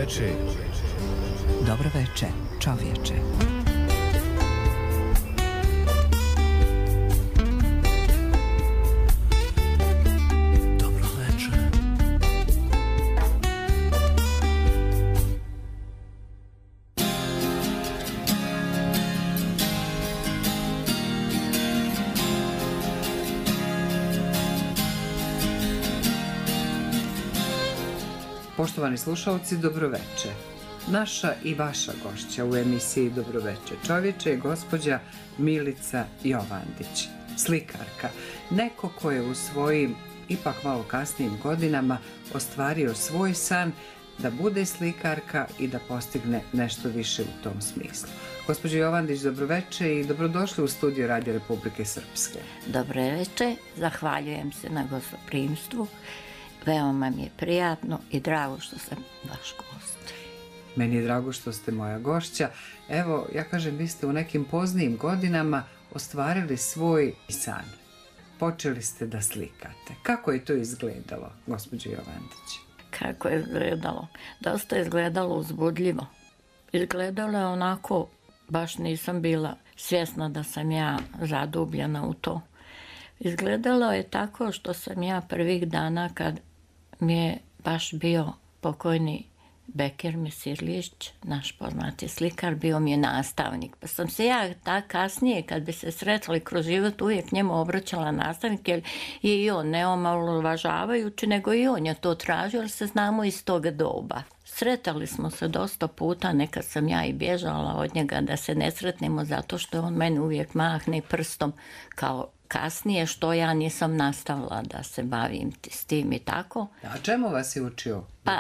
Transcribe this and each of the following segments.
veče. Dobro veče, čovječe. Poštovani slušalci, dobroveče. Naša i vaša gošća u emisiji Dobroveče čovječe je gospođa Milica Jovandić, slikarka. Neko ko je u svojim, ipak malo kasnijim godinama, ostvario svoj san da bude slikarka i da postigne nešto više u tom smislu. Gospođo Jovandić, dobroveče i dobrodošli u studio Radio Republike Srpske. Dobroveče, zahvaljujem se na gostoprimstvu. Veoma mi je prijatno i drago što sam vaš gost. Meni je drago što ste moja gošća. Evo, ja kažem, vi ste u nekim poznijim godinama ostvarili svoj san. Počeli ste da slikate. Kako je to izgledalo, gospođo Jovandić? Kako je izgledalo? Dosta je izgledalo uzbudljivo. Izgledalo je onako, baš nisam bila svjesna da sam ja zadubljena u to. Izgledalo je tako što sam ja prvih dana kad mi je baš bio pokojni Bekir Mesirlić, naš poznati slikar, bio mi je nastavnik. Pa sam se ja kasnije kad bi se sretali kroz život uvijek njemu obraćala nastavnik, jer je i on ne omalovažavajući, nego i on je to tražio, jer se znamo iz toga doba. Sretali smo se dosta puta, nekad sam ja i bježala od njega da se ne sretnemo zato što on meni uvijek mahne prstom kao kasnije što ja nisam nastavila da se bavim s tim i tako. A čemu vas je učio? Pa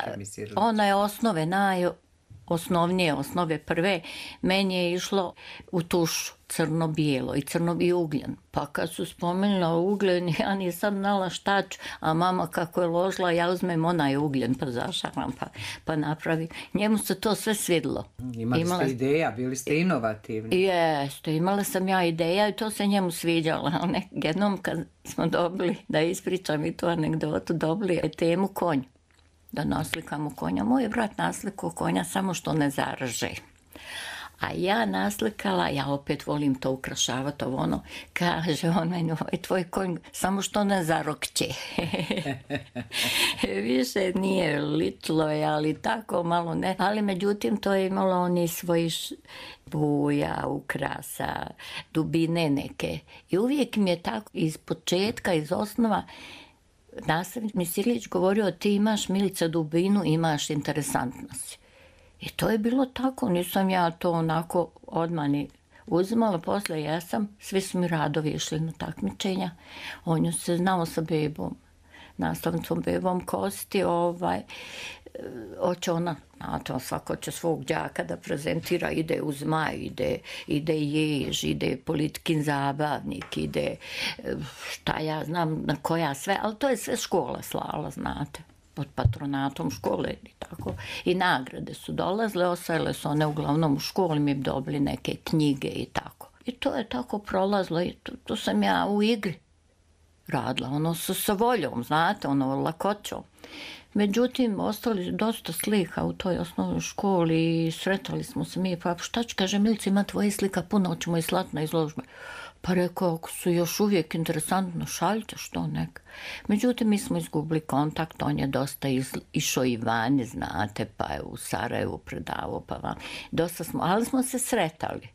ona je osnove, najosnovnije osnove prve, meni je išlo u tušu crno-bijelo i crno i ugljen. Pa kad su spomenula ugljen, ja nisam znala šta ću, a mama kako je ložila, ja uzmem onaj ugljen, pa zašaram, pa napravim. Njemu se to sve svidilo. Imali ste ideja, bili ste inovativni. Jeste, imala sam ja ideja i to se njemu sviđalo. Jednom kad smo dobili, da ispričam i tu anegdotu, dobili je temu konj. Da naslikamo konja. Moj brat naslikao konja samo što ne zaraže. A ja naslikala, ja opet volim to ukrašavati, ono, kaže on meni, tvoj konj samo što ne zarokće. Više nije litlo, ali tako malo ne. Ali međutim to je imalo oni svoji boja, ukrasa, dubine neke. I uvijek mi je tako iz početka, iz osnova, nastavnik Mesirlić govorio, ti imaš, Milica, dubinu, imaš interesantnost. I to je bilo tako, nisam ja to onako odmah ni uzimala, posle jesam, svi su mi radovi išli na takmičenja. On je se znao sa bebom, nastavnicom bebom Kosti, hoće ona, znate, svako će svog đaka da prezentira, ide uz Maj, ide Jež, ide Politikin zabavnik, ide šta ja znam na koja sve, ali to je sve škola slala, znate, pod patronatom škole i tako. I nagrade su dolazile, ostajale su one uglavnom u školi, mi bi dobili neke knjige i tako. I to je tako prolazilo i to sam ja u igri radila, ono sa voljom, znate, ono lakoćom. Međutim, ostali dosta slika u toj osnovnoj školi i sretali smo se mi, pa šta ću, kaže, Milica, ima tvoje slika puno, hoćemo i slati na izložbe. Pa rekao, ako su još uvijek interesantno, šaljite, što neka. Međutim, mi smo izgubili kontakt, on je dosta išao i vani, znate, pa je u Sarajevu predavao, pa van. Dosta smo, ali smo se sretali.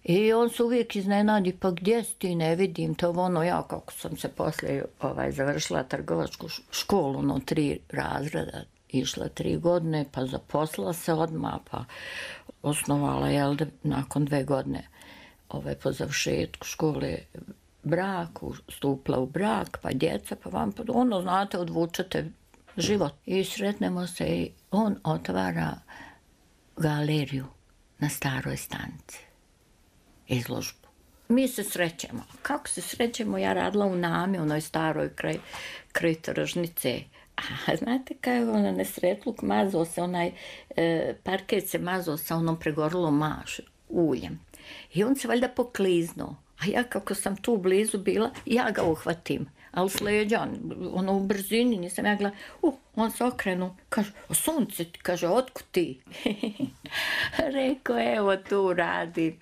I on se uvijek iznenadi, pa gdje si ti, ne vidim to, ono, ja kako sam se poslije završila trgovačku školu, 3 razreda, išla 3 godine, pa zaposlila se odmah, pa osnovala, nakon 2 godine, po završetku škole, brak, stupila u brak, pa djeca, pa vam, ono, znate, odvučete život. I sretnemo se i on otvara galeriju na Staroj stanici, izložbu. Mi se srećemo. Kako se srećemo? Ja radila u Nami, onoj staroj kraj tržnice. A znate kako je nesretluk mazao se, onaj parket se mazao sa onom pregorelom uljem. I on se valjda pokliznuo. A ja kako sam tu blizu bila, ja ga uhvatim. Ali s leđa, ono u brzini, nisam ja gledala, on se okrenu, kaže, sunce, kaže, otkud ti? Rekao, evo tu radim.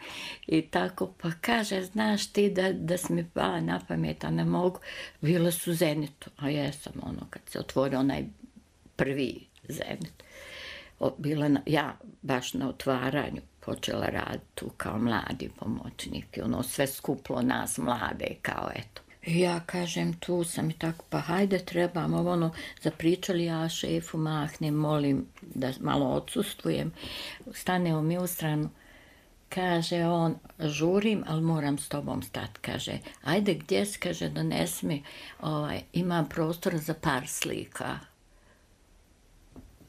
I tako, pa kaže, znaš ti da si mi pala na pamet, a ne mogu. Bile su Zenitu, a jesam, ono, kad se otvorio onaj prvi Zenit. Bila ja baš na otvaranju počela raditi tu kao mladi pomoćnik i ono sve skuplo nas mlade kao eto. I ja kažem tu sam i tako pa hajde trebamo ono zapričali ja šefu mahnem molim da malo odsustvujem. Stanemo mi u stranu. Kaže on žurim ali moram s tobom stati. Kaže ajde gdje si kaže donesi mi imam prostor za par slika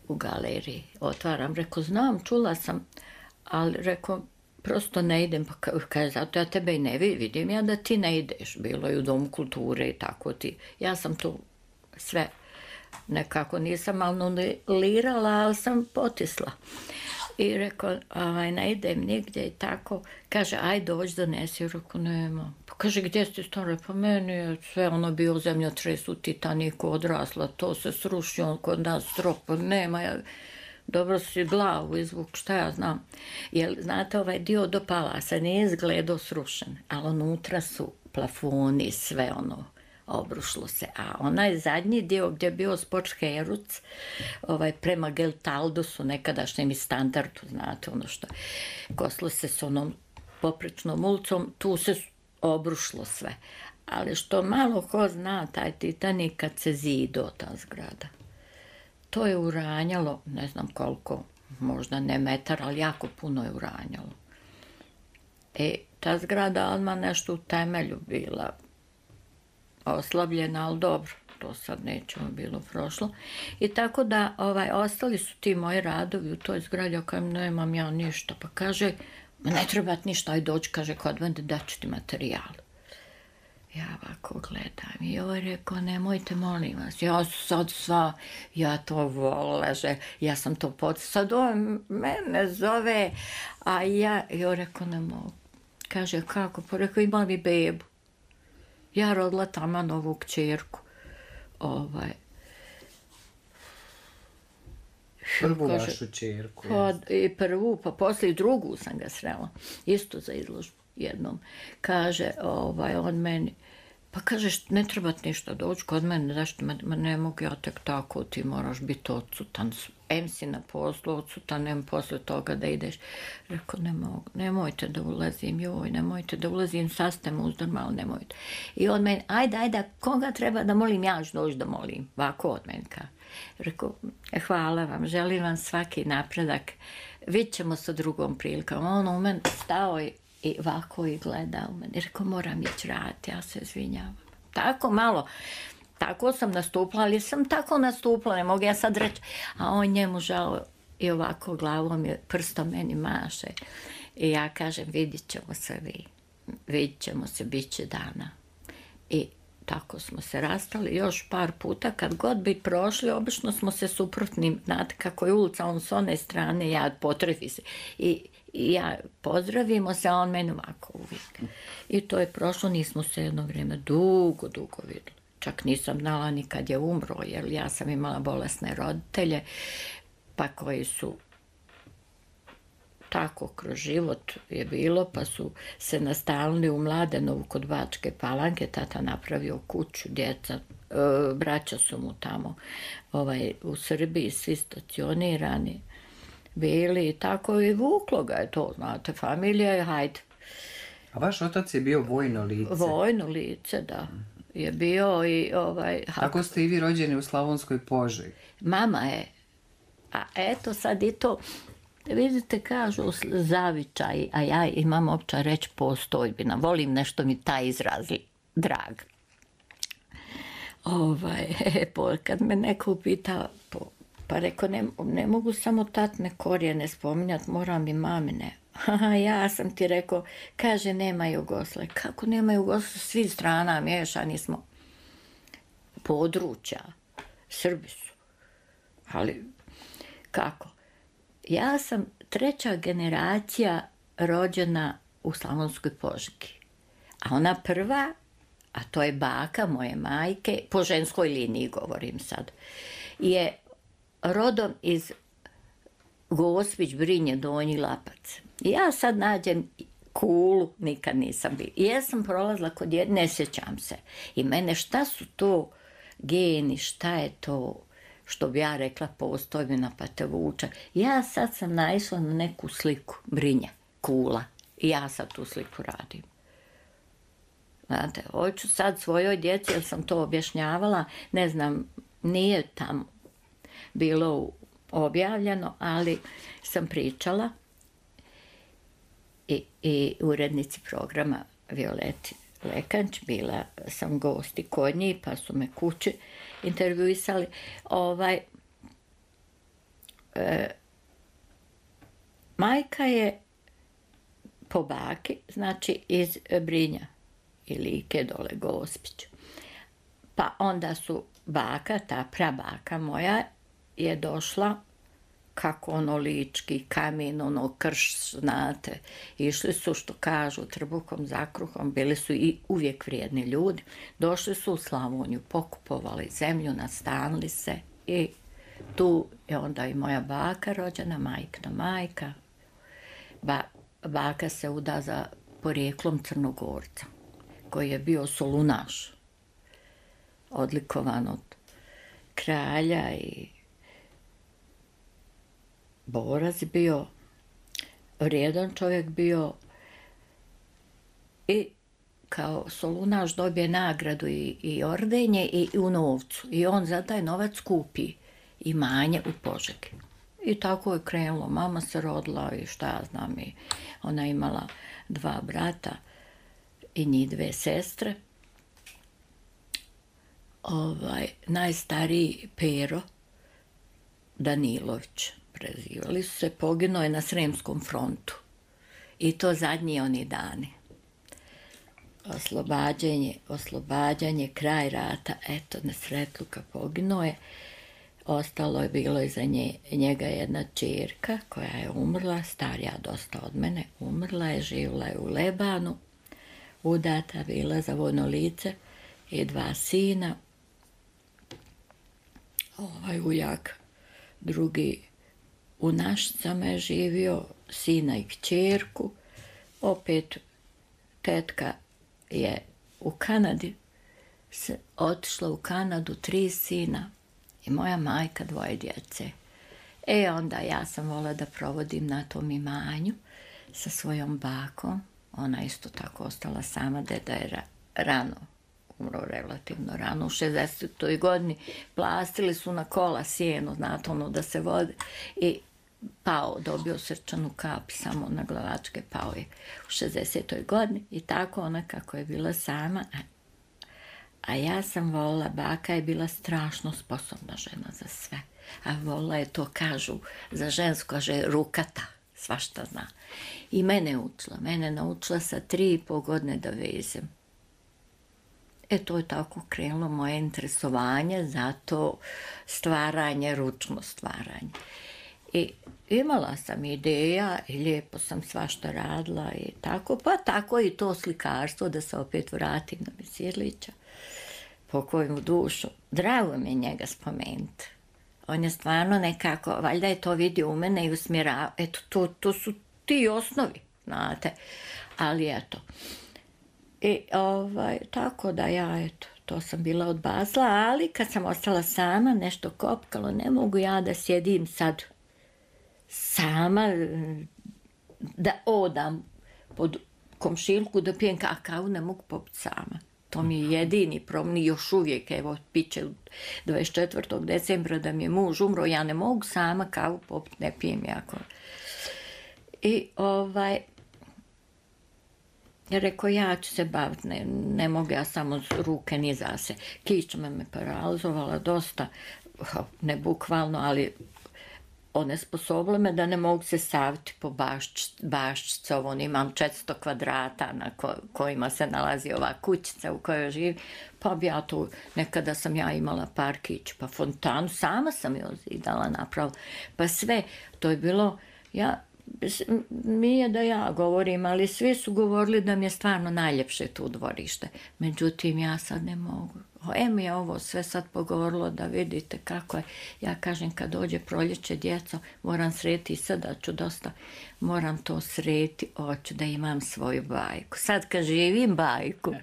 u galeriji. Otvaram, reko, znam, čula sam, ali reko, prosto ne idem, pa kaže, zato ja tebe i ne vidim, ja da ti ne ideš, bilo je u Domu kulture i tako ti. Ja sam tu sve, nekako nisam anulirala, ali sam potisla. I reko, ne idem nigdje i tako, kaže, aj dođi donesi, reko, nema. Pa kaže, gdje si stvarno? Pa meni je sve ono bio zemljotres u Titaniku odrasla, to se srušio kod nas strop, nema, dobro si glavu izvuk, šta ja znam. Jer, znate, ovaj dio do palasa nije izgledao srušen, ali unutra su plafoni, sve ono, obrušilo se. A onaj zadnji dio gdje je bio Sportsheruc, prema Geltaldusu, nekadašnjem i standardu, znate, ono što, koslo se s onom poprečnom ulicom, tu se obrušilo sve. Ali što malo ko zna, taj Titanik kad se zido ta zgrada. To je uranjalo, ne znam koliko, možda ne metar, ali jako puno je uranjalo. Ta zgrada odmah nešto u temelju bila oslabljena, ali dobro, to sad nećemo bilo prošlo. I tako da ostali su ti moji radovi u toj zgradi, o kojem nemam ja ništa. Pa kaže, ne treba ti ništa, aj dođi, kaže, kod mene da ću ti materijal. Ja ovako gledam i rekao, nemojte, molim vas, ja sad sva, ja to volila, ja sam to sad on mene zove, a ja rekao, ne mogu. Kaže, kako? Pa rekao, imala mi bebu. Ja rodila tamo novu kćerku. Prvu vašu kćerku. Prvu, pa poslije i drugu sam ga srela. Isto za izložbu jednom. Kaže, on meni, pa kažeš, ne treba ti ništa doći kod mene, zašto ne mogu ja tek tako, ti moraš biti odsutan. Em si na poslu, odsutan, em posle toga da ideš. Rekao, ne mogu, nemojte da ulazim, nemojte da ulazim, sad ste mu uzdrma, ali nemojte. I on meni, ajde, koga treba da molim, ja ću doći da molim. Ovako od meni kaže. Rekao, hvala vam, želim vam svaki napredak, vidit ćemo sa drugom prilikom. On u meni stao i ovako i gleda u meni. Rekao, moram ići raditi, ja se izvinjavam. Tako malo. Tako sam nastupila, ali sam tako nastupila, ne mogu ja sad reći, a on njemu žao i ovako glavom je prstom meni maše. I ja kažem, vidit ćemo se vidit ćemo se, bit će dana. I tako smo se rastali još par puta, kad god bi prošli, obično smo se suprotnim, znate kako je ulica, on s one strane, ja potrefi se. I ja pozdravimo se, a on meni ovako uvijek. I to je prošlo, nismo se jedno vrijeme dugo vidjeli. Čak nisam znala ni kad je umro, jer ja sam imala bolesne roditelje, pa koji su tako kroz život je bilo, pa su se nastanili u Mladenovu kod Bačke Palanke, tata napravio kuću, djeca, braća su mu tamo u Srbiji, svi stacionirani bili i tako i vuklo ga je to, znate, familija je, hajde. A vaš otac je bio vojno lice? Vojno lice, da. Je bio i Tako ste i vi rođeni u Slavonskoj Požegi? Mama je. A eto sad i to, vidite, kažu zavičaj, a ja imam opća reći postojbina. Volim nešto mi taj izraz drag. Kad me neko upita, pa rekao, ne mogu samo tatne korijene spominjati, moram i mamine. Ja sam ti rekao, kaže, nema Jugoslavije. Kako nema Jugoslavije? Svi strana miješani smo. Područja. Srbi su. Ali, kako? Ja sam 3. generacija rođena u Slavonskoj Požegi. A ona prva, a to je baka moje majke, po ženskoj liniji govorim sad, je rodom iz Gospić, Brinje, Donji Lapac. Ja sad nađem Kulu, nikad nisam bila. I ja sam prolazila kod jedne, ne sjećam se. I mene, šta su to geni, šta je to, što bi ja rekla, postojbina pa te vuče. Ja sad sam naišla na neku sliku, Brinje, Kula. I ja sad tu sliku radim. Znate, hoću sad svojoj djeci, jer sam to objašnjavala, ne znam, nije tamo bilo objavljeno, ali sam pričala i urednici programa Violeti Lekanč, bila sam gosti kod njih, pa su me kući intervjuisali. Majka je po baki, znači iz Brinja i Like, dole Gospić. Pa onda su baka, ta prabaka moja, je došla kako ono lički kamen, ono krš, znate. Išli su, što kažu, trbukom za kruhom, bili su i uvijek vrijedni ljudi. Došli su u Slavoniju, pokupovali zemlju, nastanili se i tu je onda i moja baka rođena, majkina majka. Baka se uda za porijeklom Crnogorca, koji je bio solunaš, odlikovan od kralja i borac bio, vrijedan čovjek bio i kao solunaš dobije nagradu i ordenje i u novcu. I on za taj novac kupi imanje u Požegi. I tako je krenulo. Mama se rodila i šta ja znam, i ona imala 2 brata i njih 2 sestre. Najstariji Pero Danilović, prezivali su se, poginuo je na Sremskom frontu. I to zadnji oni dani. Oslobađanje, kraj rata, eto, na Sretluka poginuo je. Ostalo je bilo iza njega jedna ćerka koja je umrla, starija dosta od mene, umrla je, živjela je u Lebanu, udata bila za vojno lice i 2 sina. Ujak drugi u Našicama je živio, sina i kćerku. Opet tetka je u Kanadi, otišla u Kanadu, 3 sina i moja majka 2 djece. Onda ja sam volila da provodim na tom imanju sa svojom bakom. Ona isto tako ostala sama, deda je rano umro, relativno rano, u 60. godini. Plastili su na kola sjeno, znate, ono da se vode, i pao, dobio srčanu kap, samo na glavačke, pao je u 60. godini. I tako ona kako je bila sama, a ja sam volila, baka je bila strašno sposobna žena za sve. A volila je to, kažu, za žensko, kaže, rukata, svašta zna. I mene naučila sa 3,5 godine da vezem. To je tako krenulo moje interesovanje za to stvaranje, ručno stvaranje. I imala sam ideja i lijepo sam svašta radila i tako, pa tako i to slikarstvo, da se opet vratim na Misirlića, pokoj mu dušu. Drago mi je njega spomenuti. On je stvarno nekako, valjda je to vidio u mene i usmjerao. Eto, to su ti osnovi, znate. Ali eto. I tako da ja, to sam bila odbacila, ali kad sam ostala sama, nešto kopkalo, ne mogu ja da sjedim sad sama, da odam pod komšilku da pijem kakao, ne mogu popiti sama. To mi je jedini problem, još uvijek, evo, piće 24. decembra da mi je muž umro, ja ne mogu sama kavu popiti, ne pijem jako. I rekao, ja ću se baviti, ne mogu ja samo ruke ni za se. Kičma me paralizovala dosta, ne bukvalno, ali onesposobilo me da ne mogu se staviti po baščicu. Imam 400 kvadrata na kojima se nalazi ova kućica u kojoj živim. Pa bi ja tu, nekada sam ja imala parkić, pa fontanu, sama sam je ozidala, napravila. Pa sve, to je bilo, nije da ja govorim, ali svi su govorili da mi je stvarno najljepše tu dvorište. Međutim, ja sad ne mogu. Mi je ovo sve sad pogovorilo da vidite kako je. Ja kažem, kad dođe proljeće, djeco, moram sreti sada ću dosta, moram to sreti, hoću da imam svoju bajku. Sad kad živim bajku,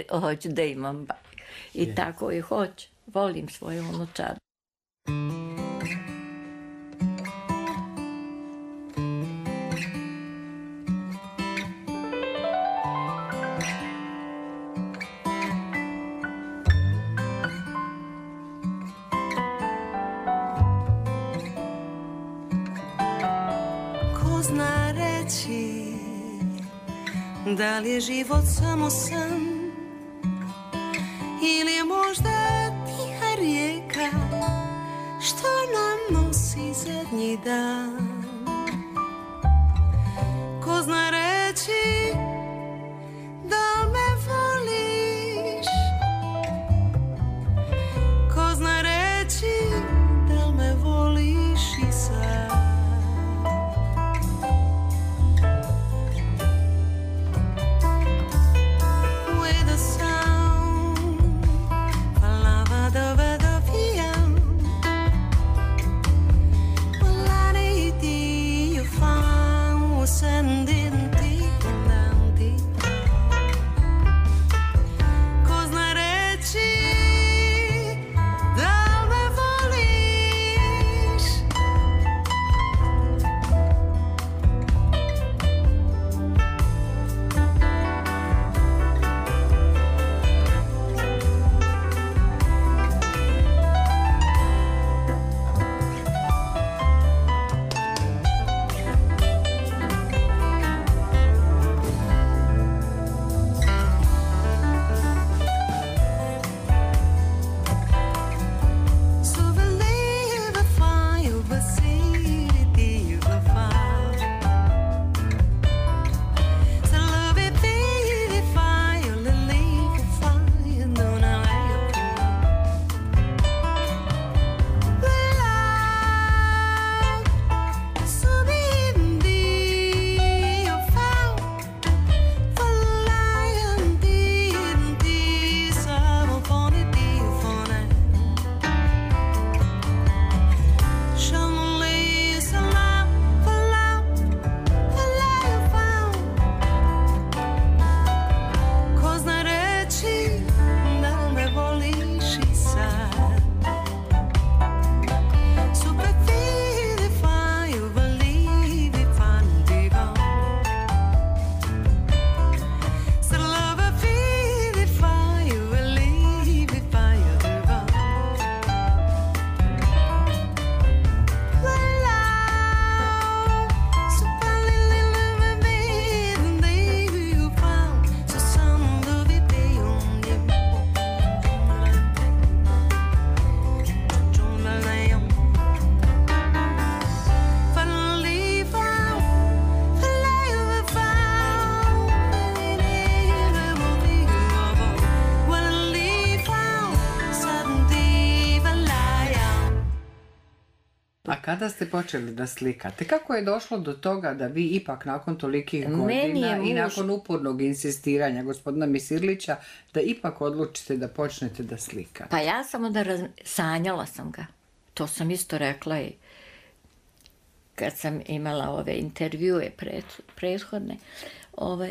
hoću da imam bajku. I tako i hoću. Volim svoju unučad. Ko zna reći da li je život samo san ili je možda tiha rijeka što nam nosi zadnji dan. Ko zna reći da me voliš, ko zna reći da me voliš i sad. Kada ste počeli da slikate? Kako je došlo do toga da vi ipak nakon tolikih godina i nakon upornog insistiranja gospodina Misirlića da ipak odlučite da počnete da slikate? Pa ja samo sanjala sam ga. To sam isto rekla i kad sam imala ove intervjue prethodne.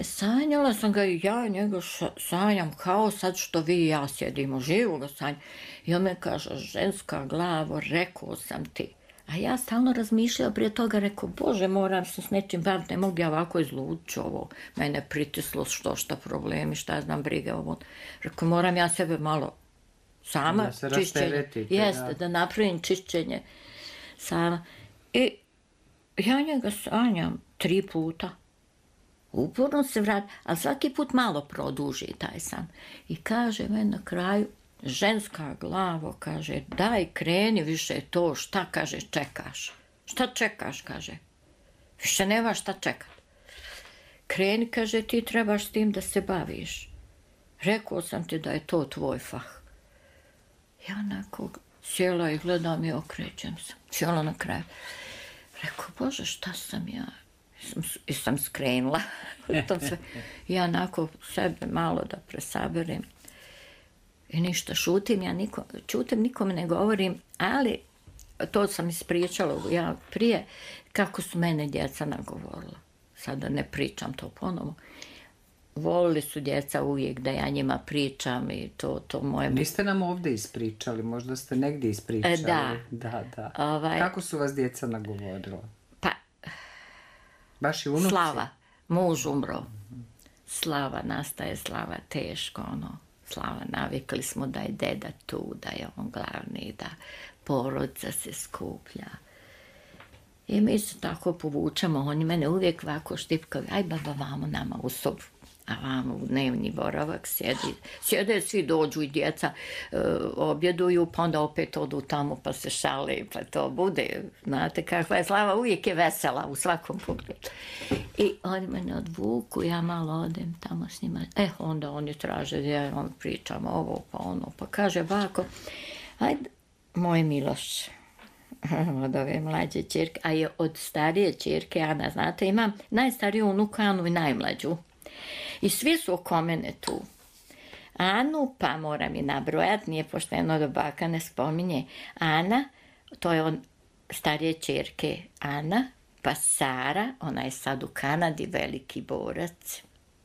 Sanjala sam ga i ja njega sanjam kao sad što vi i ja sjedimo, živo ga sanjam. I on me kaže, ženska glavo, rekao sam ti. A ja stalno razmišljala prije toga, rekao, Bože, moram se s nečim baviti, ne mogu ja ovako izlući ovo. Mene pritislo šta problemi, šta ja znam, brige ovo. Rekao, moram ja sebe malo sama čišćenje. Jeste, da napravim čišćenje sama. I ja njega sanjam 3 puta. Uporno se vrati, ali svaki put malo produži taj san. I kaže meni na kraju, ženska glavo, kaže, daj kreni više to, šta, kaže, čekaš? Šta čekaš, kaže? Više nema šta čekat. Kreni, kaže, ti trebaš s tim da se baviš. Rekao sam ti da je to tvoj fah. Ja onako sjela i gledam i okrećem se. Sjela na kraju. Rekao, Bože, šta sam ja? sam skrenula. To sve. Ja onako sebe malo da presaberem. I ništa, šutim, čutim, nikome ne govorim, ali to sam ispričala ja prije, kako su mene djeca nagovorila. Sada ne pričam to ponovo. Volili su djeca uvijek da ja njima pričam i to moje... Niste nam ovdje ispričali, možda ste negdje ispričali. Da. Kako su vas djeca nagovorila? Pa... Baš i unuci? Slava, muž umro. Slava nastaje, Slava teško, Slava, navikli smo da je deda tu, da je on glavni, da porodica se skuplja. I mi se tako povučemo, oni mene uvijek ovako štipkaju, aj baba vamo nama u sobu, a vamo u dnevni boravak sjede, svi dođu i djeca objeduju, pa onda opet odu tamo pa se šale, pa to bude, znate kakva je Slava, uvijek je vesela u svakom pogledu. I oni mene odvuku, ja malo odem tamo s njima, onda oni traže, ja on pričam ovo pa ono, pa kaže bako, ajde, moj Miloš, od ove mlađe ćerke, a je od starije ćerke, Ana, znate, imam najstariju unuku Anu i najmlađu. I svi su oko mene tu. Anu, pa moram i nabrojati, nije pošteno da baka ne spominje. Ana, to je od starije ćerke Ana, pa Sara, ona je sad u Kanadi, veliki borac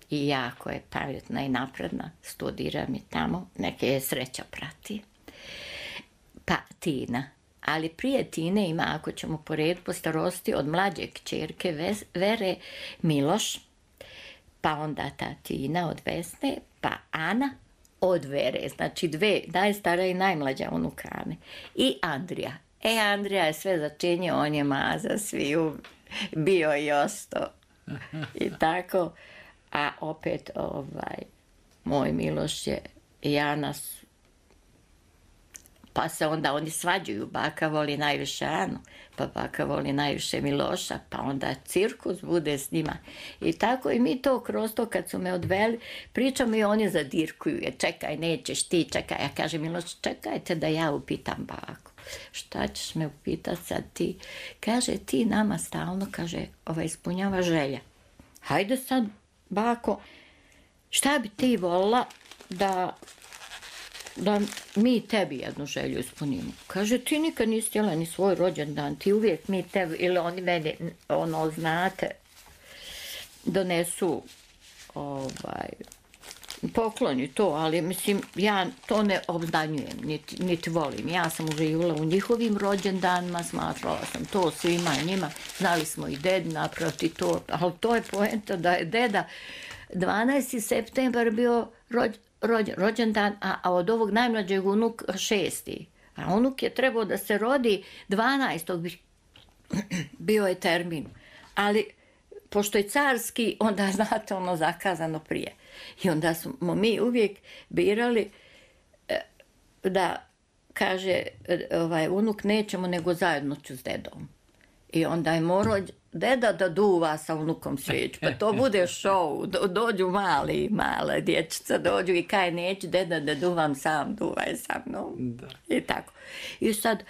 i jako je pametna i napredna, studira mi tamo, neke je sreća prati. Pa Tina, ali prije Tine ima, ako ćemo po redu po starosti, od mlađe kćerke Vere Miloš, pa onda ta Tina od Vesne, pa Ana od Vere, znači dve, najstara i najmlađa unukane. I Andrija. Andrija je sve začinio, on je maza sviju, bio i ostao. I tako, a opet moj Miloš je i Ana, pa se onda oni svađuju, baka voli najviše Anu, pa baka voli najviše Miloša, pa onda cirkus bude s njima. I tako i mi to kroz to kad su me odveli, pričamo i oni zadirkuju, jer čekaj, nećeš ti, čekaj. Ja kažem, Miloš, čekajte da ja upitam baku. Šta ćeš me upitati sad ti? Kaže, ti nama stalno, kaže, ispunjava želja. Hajde sad, bako, šta bi ti volila da mi tebi jednu želju ispunimo. Kaže, ti nikad nisi htjela ni svoj rođendan, ti uvijek mi tebi, ili oni meni, znate, donesu pokloni to, ali mislim, ja to ne obznanjujem, niti volim. Ja sam uživala u njihovim rođendanima, smatrala sam to svima njima, znali smo i ded naproti to, ali to je poenta da je deda 12. septembar bio rođendan, a od ovog najmlađeg unuk 6. A unuk je trebao da se rodi 12. bio je termin. Ali, pošto je carski, onda znate zakazano prije. I onda smo mi uvijek birali da kaže unuk nećemo nego zajedno ću s dedom. I onda je morao deda da duva sa unukom svijeću, pa to bude show, dođu male dječica, dođu i kaj neću, deda da duvam sam, duvaj sa mnom. Da. I tako. I sad,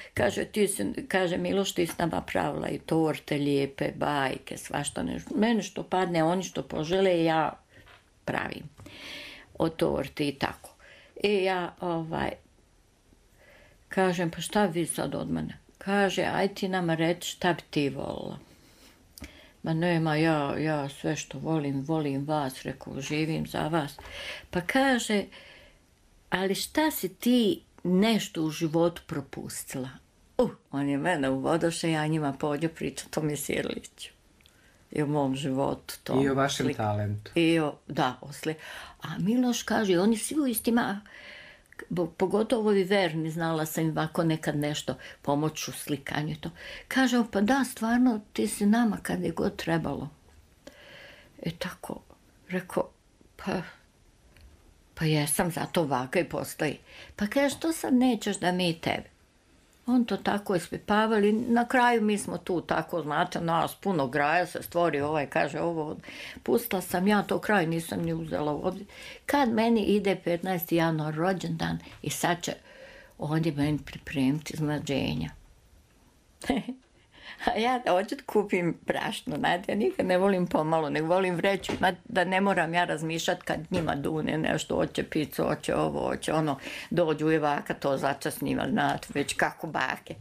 kaže Miloš, ti si nama pravila i torte lijepe, bajke, svašta nešto. Mene što padne, oni što požele, ja pravim. O torti i tako. I ja, kažem, pa šta vi sad od mene? Kaže, aj ti nama reći šta bi ti volila. Ma nema, ja sve što volim vas, rekao, živim za vas. Pa kaže, ali šta si ti nešto u životu propustila? On je mene uvodoše, ja njima pođu pričati o Misirliću. I o mom životu. I o vašem talentu. A Miloš kaže, oni svi u istima, pogotovo i verni, znala sam im ovako nekad nešto pomoć u slikanju. To. Kaže, pa da, stvarno, ti si nama kad je god trebalo. I tako, rekao, pa jesam, zato ovako i postoji. Pa kaže, što sad nećeš da mi tebi? On to tako ispipavali, na kraju mi smo tu tako, znate, nas puno graja se stvori, kaže ovo, pustila sam ja to kraj, nisam ni uzela ovdje. Kad meni ide 15. januar rođendan i sad će ovdje meni pripremiti iznenađenja. A ja hoću da kupim brašno, znate, ja nikad ne volim pomalo, nego volim vreću, da ne moram ja razmišljati kad njima dune nešto, hoće picu, hoće ovo, hoće ono, dođu i baka to začas njima, znate, već kako bake.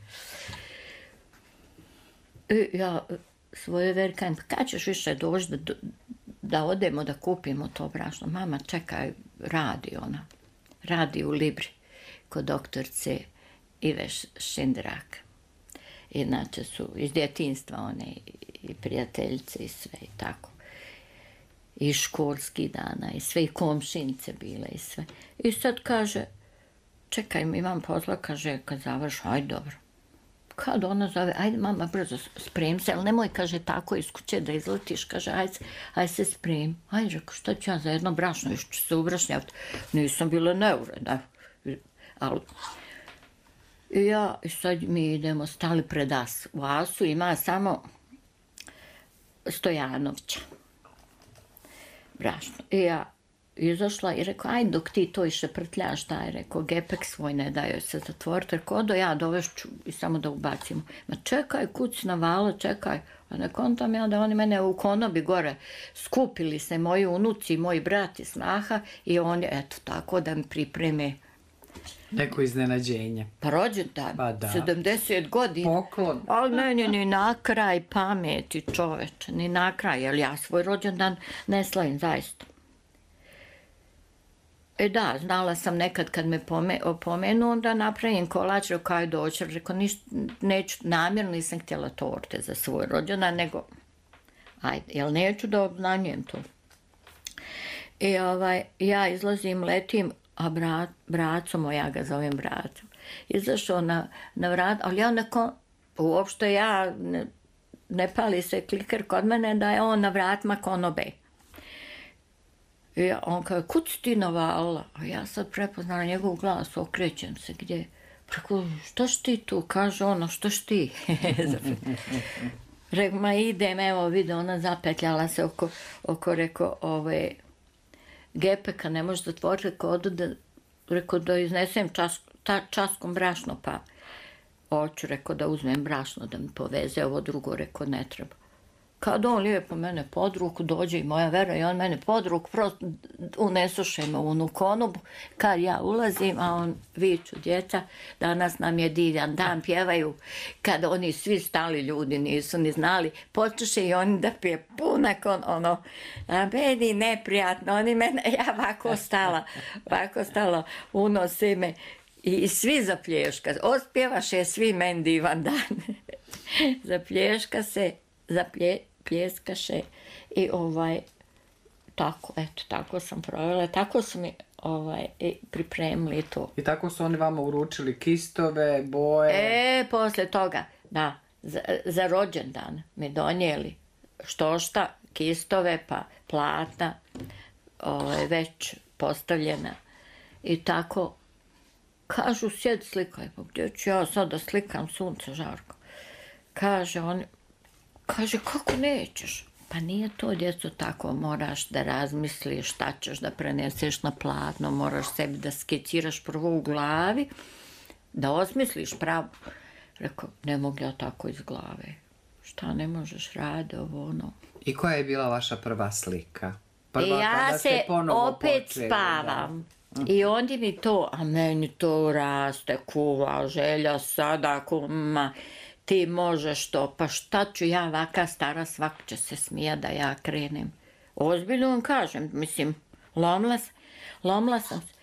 I ja svoje verkajem, pa kad ćeš više doći da odemo da kupimo to brašno? Mama, čekaj, radi ona. Radi u Libri, kod doktorce Ive Šindrak. Inače su iz djetinjstva one i prijateljice i sve i tako. I školskih dana i sve, i komšinice bile i sve. I sad kaže, čekaj, imam posla, kaže, kad završ, ajde dobro. Kad ona zove, ajde mama, brzo sprem se, ali nemoj, kaže, tako iz kuće da izletiš, kaže, ajde se sprem. Ajde, rekao, šta ću ja za jedno brašno, još ću se ubrašnjavati. Nisam bila neuredna, ali... I sad mi idemo, stali pred Asu. U Asu ima samo Stojanovića brašno. I ja izašla i rekao, ajde dok ti to iše prtljaš, daj, rekao, gepek svoj ne daju se zatvoriti, rekao, odo ja dovešću i samo da ubacimo. Ma čekaj, kuć navala, čekaj. A ne kontam ja da oni mene u konobi gore skupili se moji unuci, moji brat i snaha i oni, eto, tako da mi pripreme neko iznenađenje. Pa rođendan, 70 godina. Poklon. Ali meni ni na kraj pameti, čoveče, ni na kraj, jer ja svoj rođendan ne slavim, zaista. Da, znala sam nekad kad me opomenu, onda napravim kolač, rekao, aj doći, rekao, neću, namjerno nisam htjela torte za svoj rođendan, nego, ajde, jel neću da obznanjujem to. I ja izlazim, letim, a bracom, ja ga zovem bracom, izašao na vrat, ali ja uopšte ne pali se kliker kod mene da je on na vratima konobe. I on kaže, kud si ti navalila? A ja sad prepoznala njegov glas, okrećem se, gdje? Preko, što si ti tu? Kaže ono, što si ti? Rekao, ma idem, evo vidi, ona zapetljala se oko rekao, gepeka, ne može zatvoriti, rekao da iznesem časkom brašno, pa hoću, rekao da uzmem brašno da mi poveze, ovo drugo, rekao ne treba. Kad on lijepo mene pod ruku, dođe i moja Vera i on mene pod ruku, prosto unesuše me u onu konobu, kad ja ulazim, a on viču, djeca, danas nam je divan dan, pjevaju, kad oni svi stali ljudi nisu ni znali, počeše i oni da pije punak, a meni neprijatno, oni mene, ja ovako stala, unose me i svi zaplješka, ospjevaše svi meni divan dan, zaplješka se, pljeskaše i tako, eto, tako sam provjela, tako su mi pripremili to. I tako su oni vama uručili kistove, boje? Posle toga, da, za rođendan mi donijeli štošta, kistove, pa platna, već postavljena i tako, kažu, sjedi slikaj, pa gdje ću ja sad da slikam sunce žarko? Kaže, kako nećeš? Pa nije to, djeco, tako, moraš da razmisliš šta ćeš da preneseš na platno, moraš sebi da skiciraš prvo u glavi, da osmisliš pravo. Rekao, ne mogu ja tako iz glave. Šta ne možeš raditi, ovo ono. I koja je bila vaša prva slika? Ja se opet spavam. I onda mi to, a meni to raste, kuva, želja sada, kuma, ti možeš to, pa šta ću ja ovaka stara, svako će se smija da ja krenem. Ozbiljno vam kažem, mislim, lomla sam se.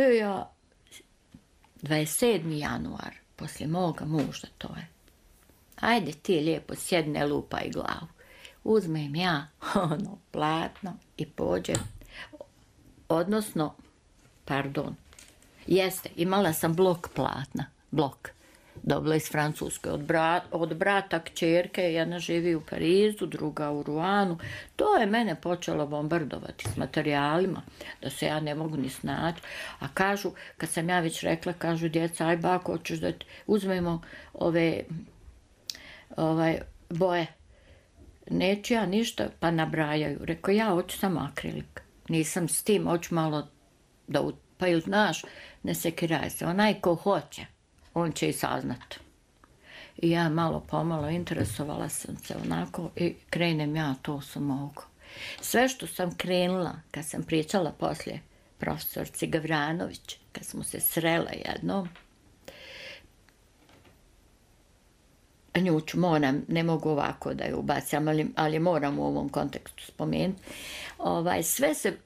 I ja, 27. januar, poslije moga muža to je. Ajde ti lijepo sjedne, lupaj glavu. Uzmem ja platno i pođem. Odnosno, imala sam blok platna, dobila iz Francuske, od brata kćerke, jedna živi u Parizu, druga u Ruanu. To je mene počelo bombardovati s materijalima, da se ja ne mogu ni snaći. A kažu, kad sam ja već rekla, kažu djeca, aj bako, hoćeš da uzmemo ove boje. Neću ja ništa, pa nabrajaju. Rekao, ja hoću samo akrilik. Nisam s tim, hoću malo da pa ili znaš, ne sekiraj se. Onaj ko hoće, on će i saznat. I ja malo pomalo interesovala sam se onako i krenem ja to sam mogu. Sve što sam krenula, kad sam pričala poslije profesorci Gavranović, kad smo se srele jednom, nju ću moram, ne mogu ovako da je ubacam, ali moram u ovom kontekstu spomenuti, sve se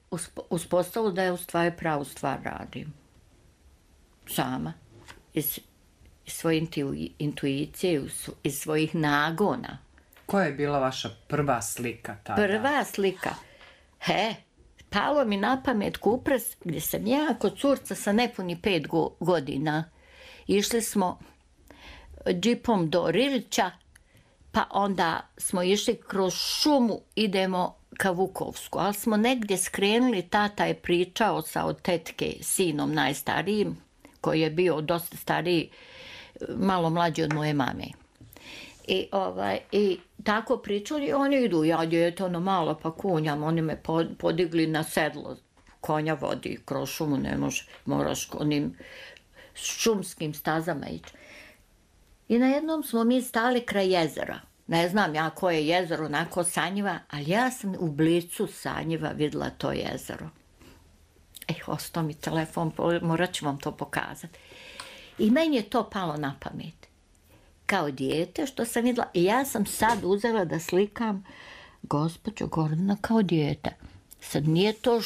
uspostavilo da je u stvari pravu stvar radim. Sama. Iz svoje intuicije, iz svojih nagona. Koja je bila vaša prva slika tada? Prva slika? Palo mi na pamet Kupres, gdje sam ja kod curca sa nepuni 5 godina. Išli smo džipom do Rilića, pa onda smo išli kroz šumu, idemo ka Vukovsku, ali smo negdje skrenuli, tata je pričao sa od tetke sinom najstarijim, koji je bio dosta stariji, malo mlađi od moje mame. I tako pričali, oni idu, ja djete ono malo pa kunjam, oni me podigli na sedlo, konja vodi kroz šumu, ne moraš onim šumskim stazama ići. I na jednom smo mi stali kraj jezera. Ne znam ja koje je jezero, onako Sanjiva, ali ja sam u blicu Sanjiva vidjela to jezero. Ostao mi telefon, morat ću vam to pokazati. I meni je to palo na pamet. Kao dijete što sam vidjela. I ja sam sad uzela da slikam gospođu Gordana kao dijete. Sad nije to,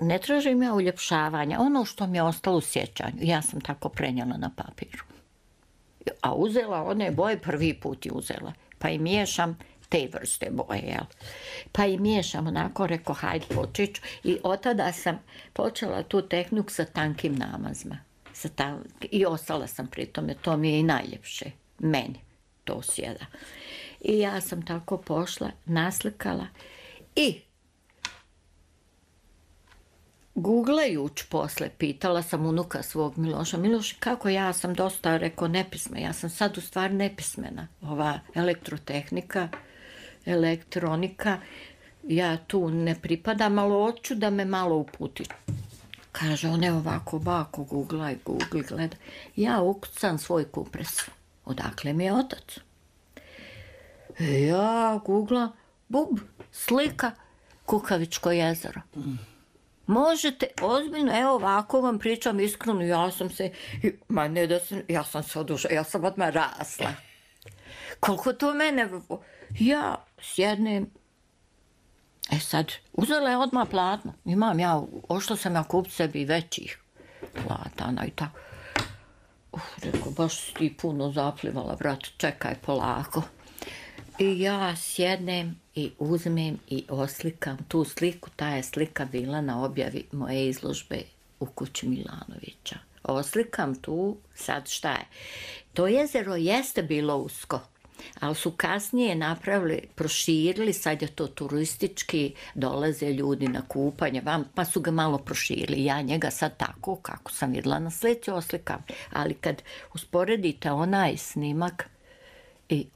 ne tražim ja uljepšavanja, ono što mi je ostalo u sjećanju. Ja sam tako prenijela na papiru. A uzela one boje, prvi put je uzela. Pa i miješam te vrste boje, jel? Pa i miješam onako, reko, hajde počeću. I od tada sam počela tu tehniku sa tankim namazima. I ostala sam pri tome, to mi je i najljepše. Meni to sjeda. I ja sam tako pošla, naslikala i googlajući posle, pitala sam unuka svog Miloša, Miloš, kako ja sam dosta, rekao, nepismena, ja sam sad u stvari nepismena, ova elektrotehnika, elektronika, ja tu ne pripadam, ali hoću da me malo uputi. Kaže, on je ovako, bako, googlaj, gleda. Ja ukucam svoj Kupres. Odakle mi je otac? Ja googlam, slika Kukavičko jezero. Možete, ozbiljno, evo ovako vam pričam iskreno, ja sam se odušla, ja sam odmah rasla. Koliko to mene, ja sjednem, sad, uzela je odmah platno, ošla sam ja kupiti sebi većih platana i tako. Rekao, baš si ti puno zaplivala, brat, čekaj polako. I ja sjednem i uzmem i oslikam tu sliku, ta je slika bila na objavi moje izložbe u kući Milanovića. Oslikam tu, sad šta je? To jezero jeste bilo usko, ali su kasnije napravili, proširili, sad je to turistički, dolaze ljudi na kupanje, pa su ga malo proširili. Ja njega sad tako, kako sam vidjela na slici, oslikam. Ali kad usporedite onaj snimak i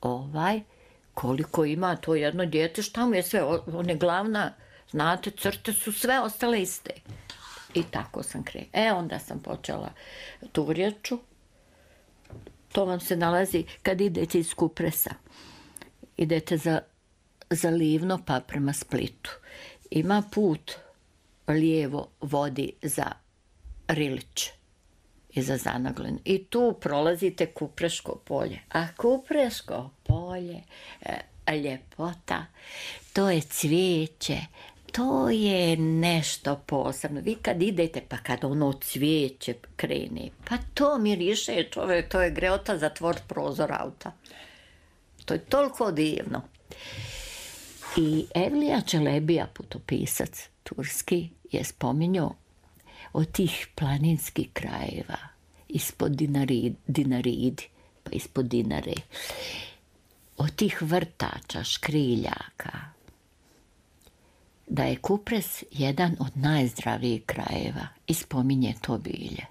koliko ima to jedno dijete, šta mu je sve, one glavna, znate, crte su sve ostale iste. I tako sam krenula. Onda sam počela Turječu. To vam se nalazi kad idete iz Kupresa. Idete za Livno pa prema Splitu. Ima put lijevo vodi za Rilić i za Zanaglin. I tu prolazite Kupreško polje. A Kupreško polje, ljepota, to je cvijeće, to je nešto posebno. Vi kad idete, pa kad ono cvijeće krene, pa to miriše, čovjek, to je greota zatvoriti prozor auta. To je toliko divno. I Evlija Čelebija, putopisac turski, je spominjao od tih planinskih krajeva, ispod Dinaridi, pa ispod Dinare, od tih vrtača, škriljaka, da je Kupres jedan od najzdravijih krajeva i spominje to bilje.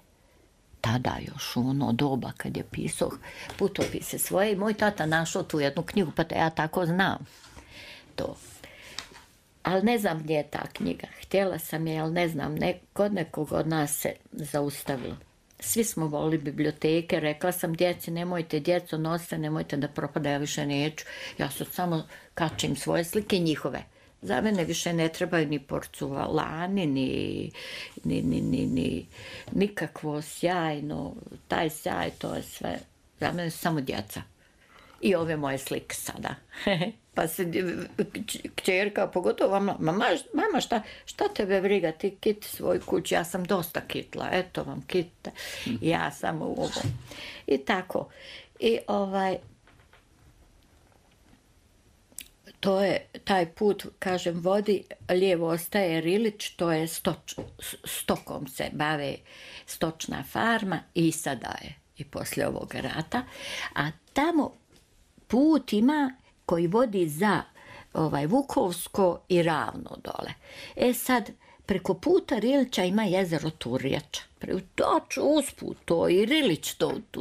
Tada još u ono doba kad je pisao putopise svoje i moj tata našao tu jednu knjigu, pa da ja tako znam to. Ali ne znam gdje je ta knjiga. Htjela sam je, ali ne znam, kod nekog od nas se zaustavilo. svi smo volili biblioteke, rekla sam djeci, nemojte djeco nosite, nemojte da propada, ja više neću. Ja sad samo kačim svoje slike njihove. Za mene više ne trebaju ni porculani, ni nikakvo sjajno, taj sjaj, to je sve, za mene su samo djeca. I ove moje slike sada. Pa se kćerka, pogotovo mama šta tebe briga, ti kiti svoj kući, ja sam dosta kitla, eto vam kita, ja sam u ovom. I tako. I to je taj put, kažem, vodi, lijevo ostaje Rilić, to je stokom se bave, stočna farma i sada je i poslije ovog rata, a tamo put ima koji vodi za Vukovsko i Ravno dole. Sad, preko puta Rilića ima jezero Turjača. Točno usput to i Rilić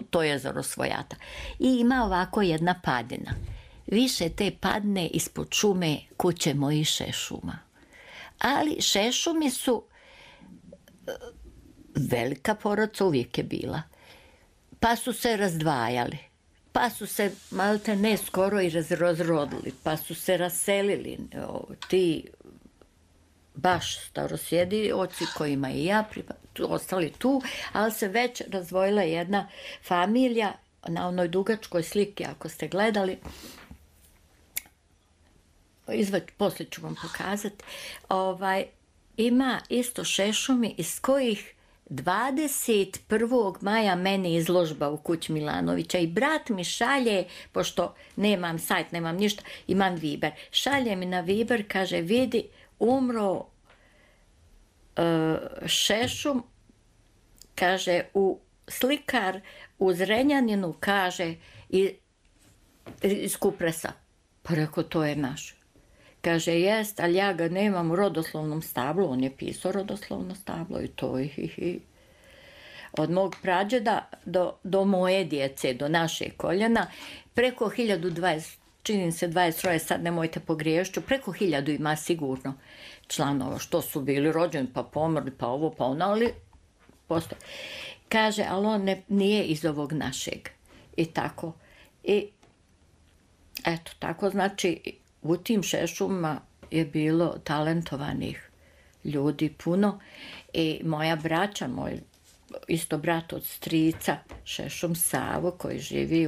to jezero svojata. I ima ovako jedna padina. Više te padne ispod šume kuće mojih šešuma. Ali šešumi su velika porodica, uvijek je bila. Pa su se razdvajali. Pa su se malte ne skoro i razrodili, pa su se raselili ti baš starosjedioci kojima i ja ostali tu, ali se već razdvojila jedna familija na onoj dugačkoj sliki, ako ste gledali, poslije ću vam pokazati, ima isto šešumi iz kojih 21. maja meni izložba u kući Milanovića i brat mi šalje, pošto nemam sajt, nemam ništa, imam Viber. Šalje mi na Viber, kaže, vidi, umro šešum, kaže, slikar u Zrenjaninu, kaže, iz Kupresa. Pa rekao, to je naš. Kaže, jest, ali ja ga nemam u rodoslovnom stablu, on je pisao rodoslovno stablo i to od mog prađeda do moje djece, do naše koljena, preko 1020, činim se 23, sad nemojte pogriješću, preko 1000 ima sigurno članova, što su bili rođeni, pa pomrli, pa ovo, pa ono, ali postoje. Kaže, ali on nije iz ovog našeg. I tako. I eto, tako znači, u tim šešumima je bilo talentovanih ljudi puno i moja braća, moj isto brat od strica, šešum Savo, koji živi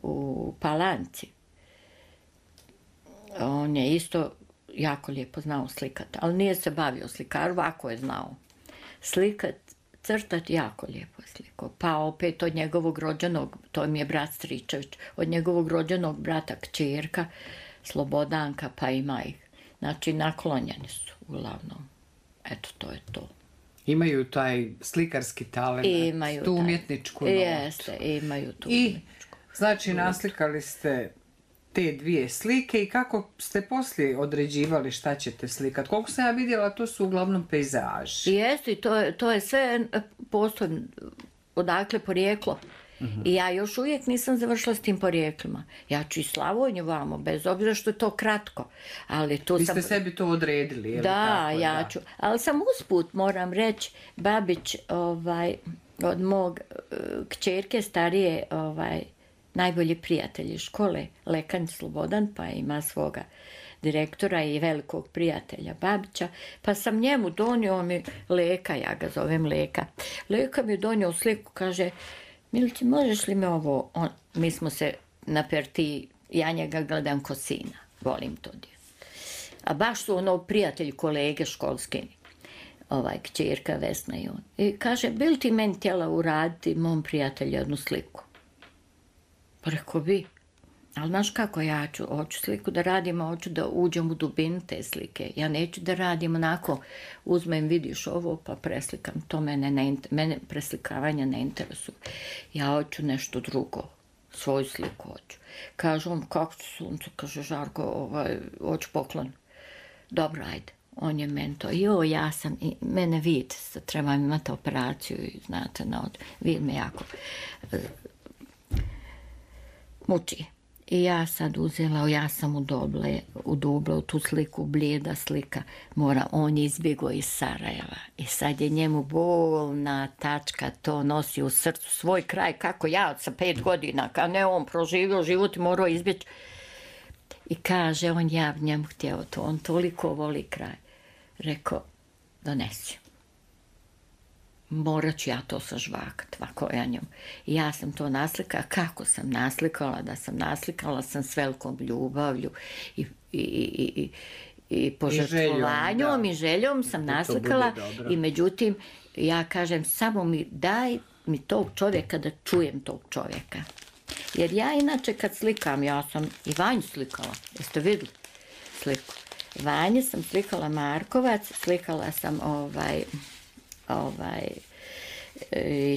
u Palanci. On je isto jako lijepo znao slikati, ali nije se bavio slikaru, ako je znao slikat, crtati, jako lijepo je slikao. Pa opet od njegovog rođenog, to mi je brat Stričević, od njegovog rođenog brata kćerka, Slobodanka, pa ima ih. Znači, naklonjeni su, uglavnom. Eto, to je to. Imaju taj slikarski talent, tu umjetničku notu. Jeste, imaju tu umjetničku. I, znači, naslikali ste te dvije slike i kako ste poslije određivali šta ćete slikati? Koliko sam ja vidjela, to su uglavnom pejzaži. Jeste, i to je sve postoje odakle porijeklo. I ja još uvijek nisam završila s tim porijeklima. Ja ću i Slavonju vamo, bez obzira što je to kratko. Ali tu vi ste sebi to odredili, je li da, tako? Ja ću. Ali sam usput, moram reći, Babić od mog kćerke starije najbolji prijatelj iz škole, Lekanj Slobodan, pa ima svoga direktora i velikog prijatelja Babića, pa sam njemu donio Leka, ja ga zovem Leka. Leka mi je donio sliku, kaže, Milici, možeš li me ovo, mi smo se na perti, ja njega gledam ko sina, volim to djelo. A baš su prijatelji, kolege školske, kćerka Vesna i on. I kaže, bi li ti meni htjela uraditi mom prijatelju jednu sliku? Pa rekao bi, ali znaš kako ja hoću sliku da radim, hoću da uđem u dubinu te slike. Ja neću da radim onako, uzmem, vidiš ovo, pa preslikam. To mene preslikavanje ne interesuje. Ja hoću nešto drugo, svoju sliku hoću. Kaže on, kako ću sunce, kaže Žarko, hoću poklon. Dobro, ajde. On je meni to, ja sam, mene vid, trebam imati operaciju i znate, vid me jako muči. I ja sad uzela, ja sam udubla u tu sliku, blijeda slika. On je izbjegao iz Sarajeva. I sad je njemu bolna tačka, to nosi u srcu svoj kraj, kako ja sa 5 godina, kao ne on proživio život i morao izbjeći. I kaže, ja bi njemu htio to, on toliko voli kraj. Rekao, donesi. Morat ću ja to sažvakat, ovako ja njom. I ja sam to naslikala, kako sam naslikala, naslikala sam s velikom ljubavlju i požrtvovanjom i željom sam naslikala. I međutim, ja kažem, samo daj mi tog čovjeka da čujem tog čovjeka. Jer ja inače kad slikam, ja sam i Vanju slikala, jeste vidjeli sliku? Vanje sam slikala Markovac, slikala sam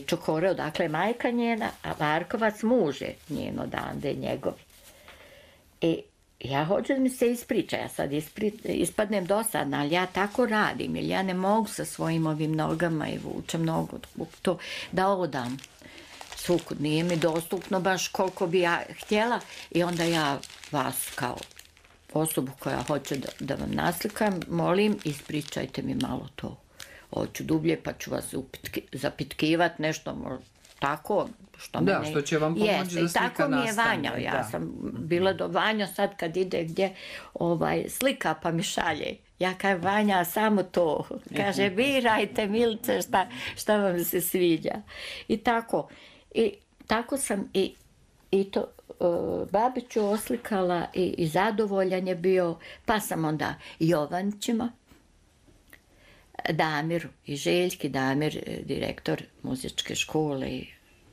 Čokoreo, dakle majka njena, a Markovac muže njeno dande njegovi. I ja hoću da mi se ispriča, ja sad ispadnem dosadna, ali ja tako radim, jer ja ne mogu sa svojim ovim nogama i vučem nogu to da odam. Sukud nije mi dostupno baš koliko bi ja htjela i onda ja vas kao osobu koja hoće da vam naslikam, molim, ispričajte mi malo to. Hoću dublje pa ću vas zapitkivati nešto tako što mene... Da, što će vam pomoći da slika nastane. Tako mi je Vanja, ja sam bila do Vanja sad kad ide gdje slika pa mi šalje. Ja kažem, Vanja, samo to. Kaže, birajte, Milice, šta vam se sviđa. I tako sam i to Babiću oslikala i zadovoljan je bio, pa sam onda Jovančićima, Damiru i Željki, Damir, direktor muzičke škole,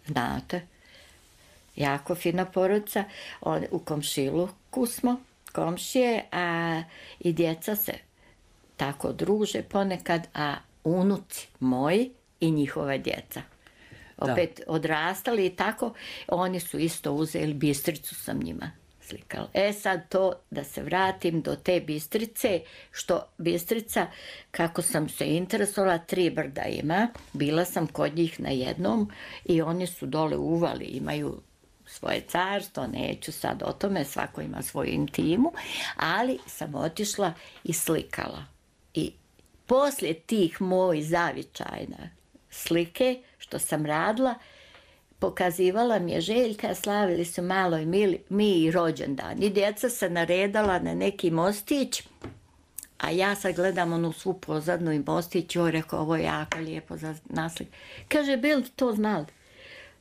znate, jako fina porodica, u komšiluku smo, komšije, a i djeca se tako druže ponekad, a unuci moji i njihova djeca. Opet odrastali i tako, oni su isto uzeli, Bistricu sam njima slikala. Sad to, da se vratim do te Bistrice, što Bistrica, kako sam se interesovala, 3 brda ima, bila sam kod njih na jednom i oni su dole uvali, imaju svoje carstvo, neću sad o tome, svako ima svoju intimu, ali sam otišla i slikala. I poslije tih mojih zavičajna slike, što sam radila, pokazivala mi je Željka, slavili su malo i mi i rođendan. I djeca se naredala na neki mostić, a ja sad gledam onu svu pozadnu i mostić, joj, rekao, ovo je jako lijepo za naslik. Kaže, bil ti to znali?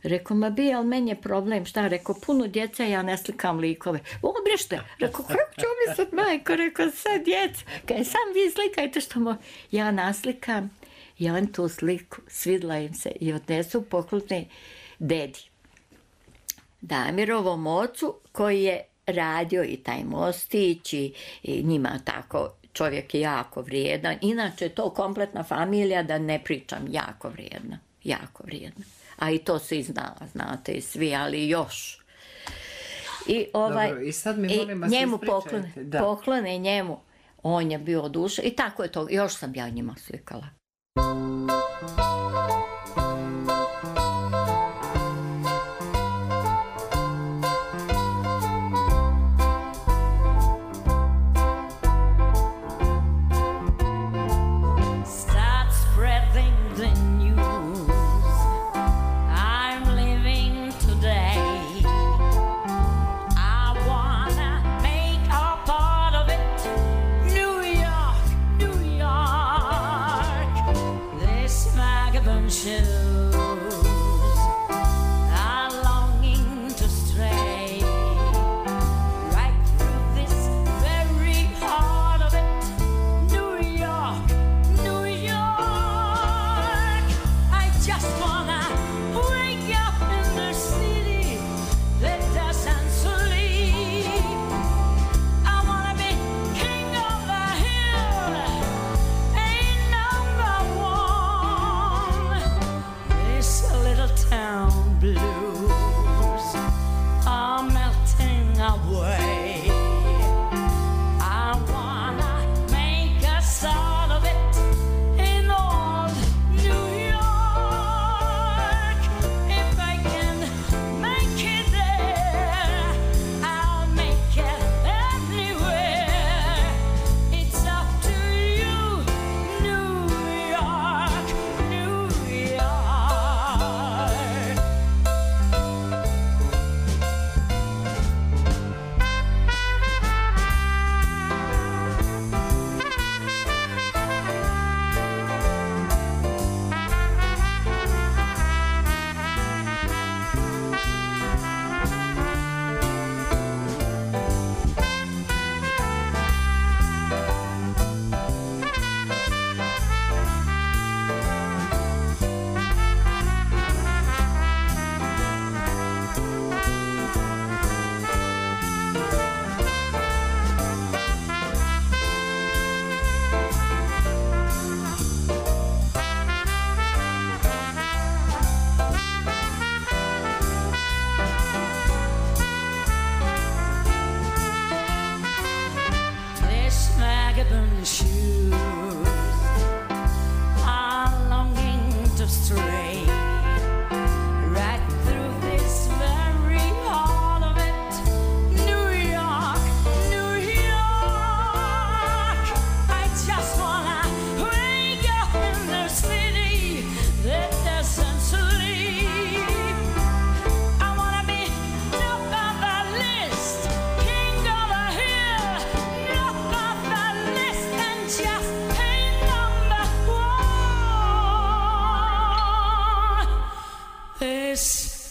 Rekao, ma bi, ali meni je problem, šta? Rekao, puno djeca, ja ne slikam likove. Obrište. Rekao, kako ću mi sad, majko? Rekao, sad djeca. Kaj, sam vi slikajte što ja naslikam. I on tu sliku, svidla im se i odnesu poklone dedi. Damirovom ocu koji je radio i taj mostić i njima tako, čovjek je jako vrijedan. Inače je to kompletna familija, da ne pričam, jako vrijedna. Jako vrijedna. A i to svi znala, znate i svi, ali još. I Dobro, i sad mi molim vas njemu poklone njemu. On je bio duša i tako je to. Još sam ja njima slikala. New York,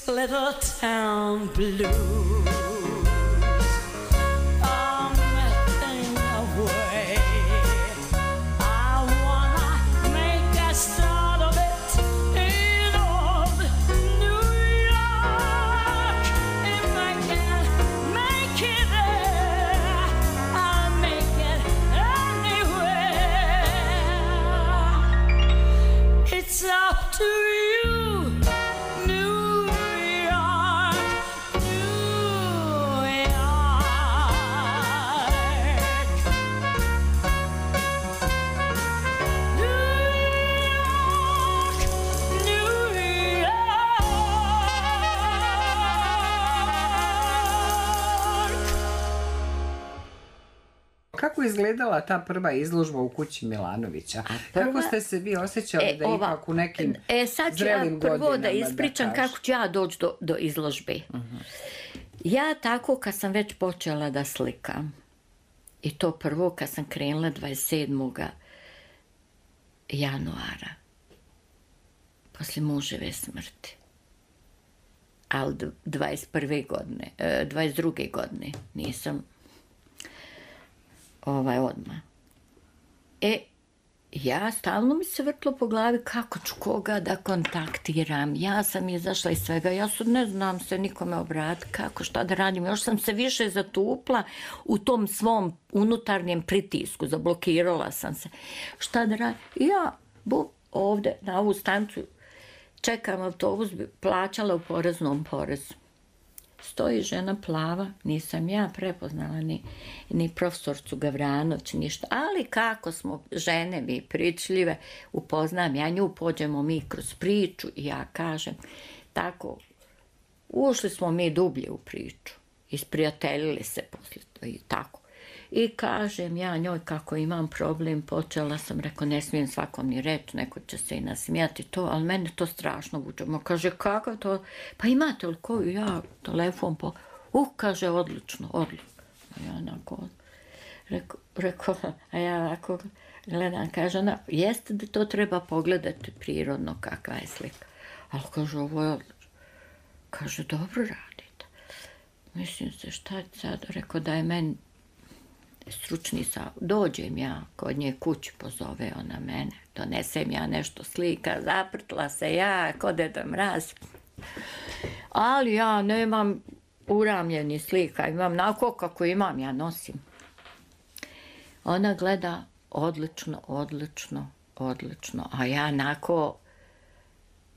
little town blues are melting away. I wanna make a start of it in old New York. If I can make it there, I'll make it anywhere. It's up to you. Kako je izgledala ta prva izložba u kući Milanovića? Kako ste se vi osjećali da ipak u nekim sad ću zrelim godinama? Prvo da ispričam kako ću ja doći do izložbe. Ja tako kad sam već počela da slikam, i to prvo kad sam krenula 27. januara, poslije muževe smrti, ali 22. godine nisam odmah. Ja stalno mi se vrtlo po glavi kako ću koga da kontaktiram. Ja sam izašla iz svega, ja ne znam se nikome obratiti, kako, šta da radim. Još sam se više zatupla u tom svom unutarnjem pritisku, zablokirala sam se. Šta da radim? Ja ovdje na ovu stancu čekam autobus, plaćala u poreznom porezu. Stoji žena plava, nisam ja prepoznala ni profesorcu Gavranović, ništa. Ali kako smo žene mi pričljive, upoznam ja nju, pođemo mi kroz priču i ja kažem, tako, ušli smo mi dublje u priču, isprijateljili se poslije to i tako. I kažem ja njoj kako imam problem, počela sam, rekao, ne smijem svakom ni reći, neko će se i nasmijati to, ali mene to strašno vuče. Kaže, kako to? Pa imate li koju? Ja telefon kaže, odlično. Ja onako, rekao, a ja ovako gledam, kaže ona, jeste da to treba pogledati prirodno kakva je slika. Ali kaže, ovo je odlično. Kaže, dobro radite. Mislim se, šta sad? Rekao, da je meni stručni dođem ja kod nje kući, pozove ona mene, donesem ja nešto slika, zaprtla se ja kod Deda Mraz, ali ja nemam uramljeni slika, imam nako kako imam, ja nosim. Ona gleda odlično, a ja nako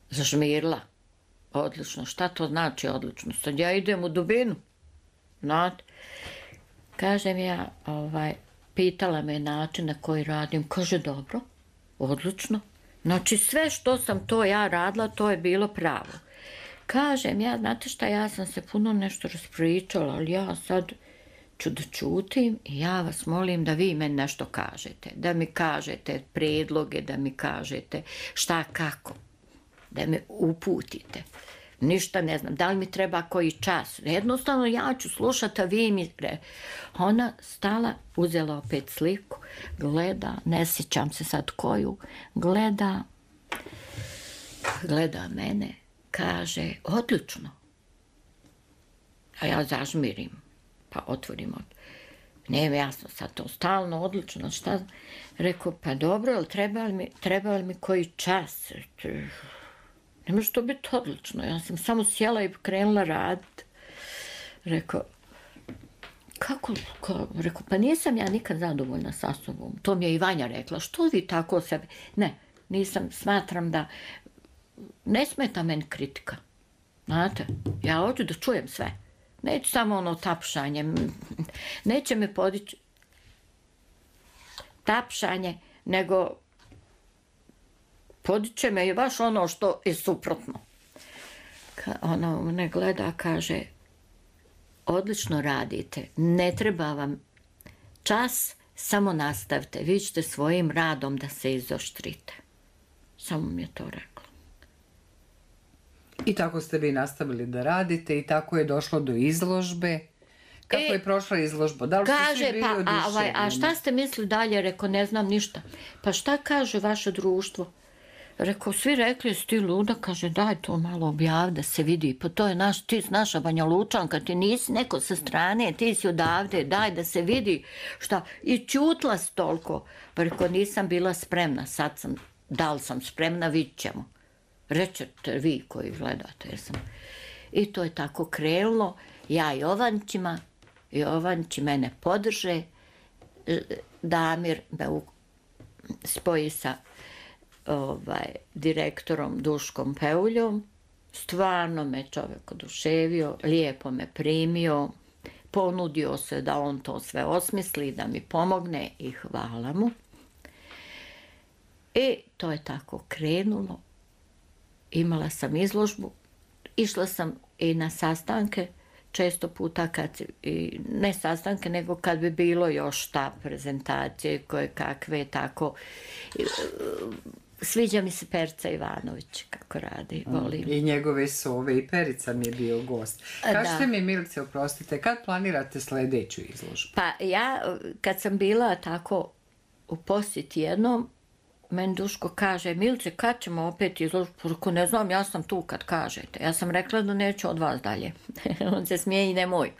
zažmirla, odlično. Šta to znači odlično? Sad ja idem u dubinu, znate. Kažem ja, pitala me način na koji radim, kaže dobro, odlično. Znači sve što sam to ja radila, to je bilo pravo. Kažem ja, znate šta, ja sam se puno nešto raspričala, ali ja sad ću da čutim i ja vas molim da vi meni nešto kažete. Da mi kažete predloge, da mi kažete šta kako, da me uputite. Ništa ne znam, da li mi treba koji čas. Jednostavno ja ću slušati, a vi mi... Ona stala, uzela opet sliku, gleda, ne sjećam se sad koju, gleda mene, kaže, odlično. A ja zažmirim, pa otvorim od... Nije mi jasno sad to, stalno, odlično, šta? Rekao, pa dobro, ali treba li mi koji čas? Ne može to biti odlično. Ja sam samo sjela i krenula raditi. Rekao, kako? Rekao, pa nisam ja nikad zadovoljna sa sobom. To mi je i Vanja rekla. Što vi tako sebe? Ne, nisam, smatram da ne smeta meni kritika. Znate, ja hoću da čujem sve. Neću samo ono tapšanje. Neće me podići tapšanje, nego podiće me i baš ono što je suprotno. Ona me gleda, kaže, odlično radite, ne treba vam čas, samo nastavite, vi ćete svojim radom da se izoštrite. Samo mi je to rekla. I tako ste vi nastavili da radite i tako je došlo do izložbe. Kako je prošla izložba? Da li ste svi bili oduševljeni? A šta ste mislili dalje? Rekao, ne znam ništa. Pa šta kaže vaše društvo? Rekao, svi rekli, jesi ti luda? Kaže, daj to malo objavi da se vidi. Pa to je ti si naša Banja Lučanka, ti nisi neko sa strane, ti si odavde, daj da se vidi. Šta? I čutla si toliko. Pa rekao, nisam bila spremna, sad sam, da li sam spremna, vidit ćemo. Rećete vi koji gledate, jesam. I to je tako krenulo. Ja Jovanči mene podrže, Damir me spoji sa direktorom Duškom Peuljom. Stvarno me čovjek oduševio, lijepo me primio, ponudio se da on to sve osmisli, da mi pomogne i hvala mu. I to je tako krenulo. Imala sam izložbu, išla sam i na sastanke, često puta ne sastanke, nego kad bi bilo još ta prezentacije koje kakve, tako. Sviđa mi se Perica Ivanović kako radi, volim. I njegove sove, i Perica mi je bio gost. Kažete mi, Milice, oprostite, kad planirate sljedeću izložbu? Pa ja, kad sam bila tako u posjeti jednom, meni Duško kaže, Milice, kad ćemo opet izložbu? Rekao, ne znam, ja sam tu kad kažete. Ja sam rekla da neću od vas dalje. On se smije i nemoj.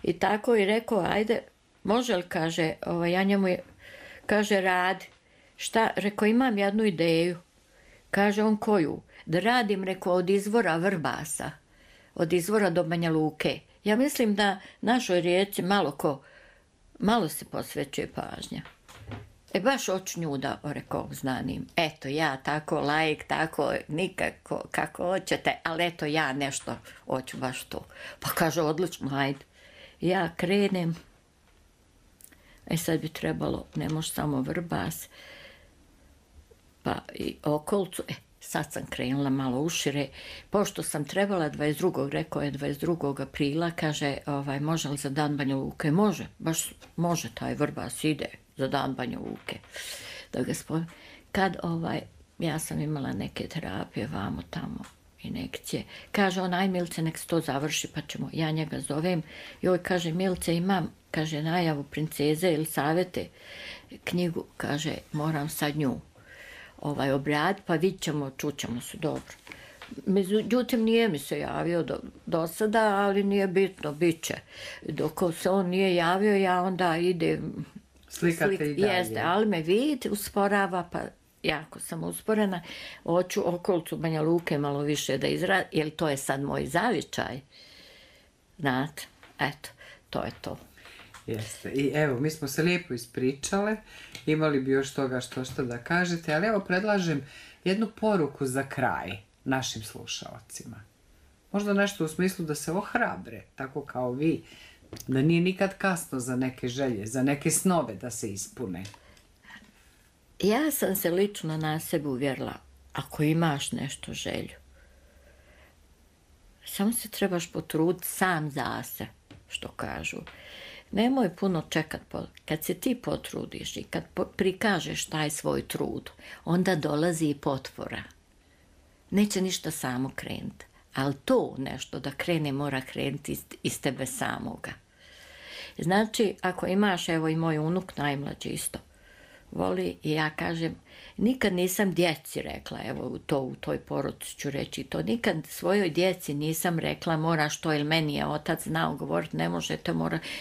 I tako je rekao, ajde, može li, kaže, ja njemu kaže, radi. Šta? Rekao, imam jednu ideju. Kaže on, koju? Da radim, rekao, od izvora Vrbasa. Od izvora do Banja Luke. Ja mislim da našoj rijeci malo se posvećuje pažnja. Baš hoću nju da znanim. Eto, ja tako, laik, tako, nikako, kako hoćete, ali eto, ja nešto hoću baš to. Pa kaže, odlično, ajde. Ja krenem. Sad bi trebalo, ne može samo Vrbas, pa i okolcu. Sad sam krenula malo ušire. Pošto sam trebala 22. rekao je 22. aprila, kaže, može li za dan Banja Luke? Može, baš može, taj Vrbas ide za dan Banja Luke. Da ga spomenu. Kad ja sam imala neke terapije vamo tamo injekcije. Kaže on, aj Milice, nek se to završi, pa ćemo, ja njega zovem. Joj, kaže, Milice, imam, kaže, najavu princeze Elisavete, knjigu, kaže, moram sad nju obraditi, pa vidit ćemo, čućemo se, dobro. Međutim, nije mi se javio do sada, ali nije bitno, bit će. Dok se on nije javio, ja onda idem slikate i dalje. Jeste, ali me vidite, usporava, pa jako sam usporena. Hoću okolicu Banja Luke malo više da izradim, jer to je sad moj zavičaj. Znate, eto, to je to. Jeste. I evo, mi smo se lijepo ispričale, imali bi još toga što da kažete, ali evo predlažem jednu poruku za kraj našim slušaocima. Možda nešto u smislu da se ohrabre, tako kao vi, da nije nikad kasno za neke želje, za neke snove da se ispune. Ja sam se lično na sebe uvjerila, ako imaš nešto želju, samo se trebaš potruditi sam za se, što kažu. Nemoj puno čekat, kad se ti potrudiš i kad prikažeš taj svoj trud, onda dolazi i potvora. Neće ništa samo krenuti, ali to nešto da krene mora krenuti iz tebe samoga. Znači, ako imaš, evo i moj unuk najmlađi isto, voli i ja kažem, nikad nisam djeci rekla, evo u toj poruci ću reći to, nikad svojoj djeci nisam rekla moraš to, ili meni je otac znao govoriti, ne možete,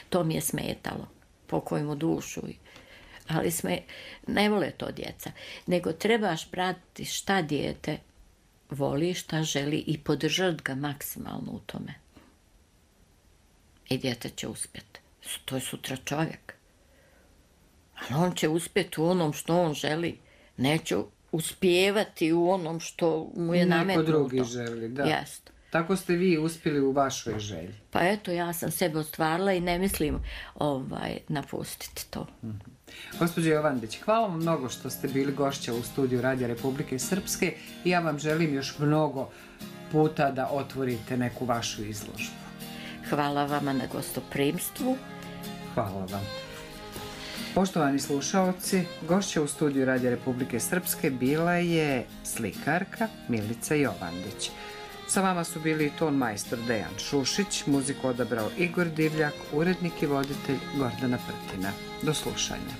to mi je smetalo, pokoj mu dušu. Ali ne vole to djeca, nego trebaš pratiti šta dijete voli, šta želi i podržati ga maksimalno u tome. I dijete će uspjeti. To je sutra čovjek. Ali on će uspjeti u onom što on želi. Neće uspijevati u onom što mu je nametnuto. Neko drugi želi, da. Jest. Tako ste vi uspjeli u vašoj želji. Pa eto, ja sam sebe ostvarila i ne mislim napustiti to. Gospođo Jovandić, hvala vam mnogo što ste bili gošća u studiju Radija Republike Srpske i ja vam želim još mnogo puta da otvorite neku vašu izložbu. Hvala vama na gostoprimstvu. Hvala vam. Poštovani slušaoci, gošća u studiju Radija Republike Srpske bila je slikarka Milica Jovandić. Sa vama su bili ton majstor Dejan Šušić, muziku odabrao Igor Divljak, urednik i voditelj Gordana Prtina. Do slušanja.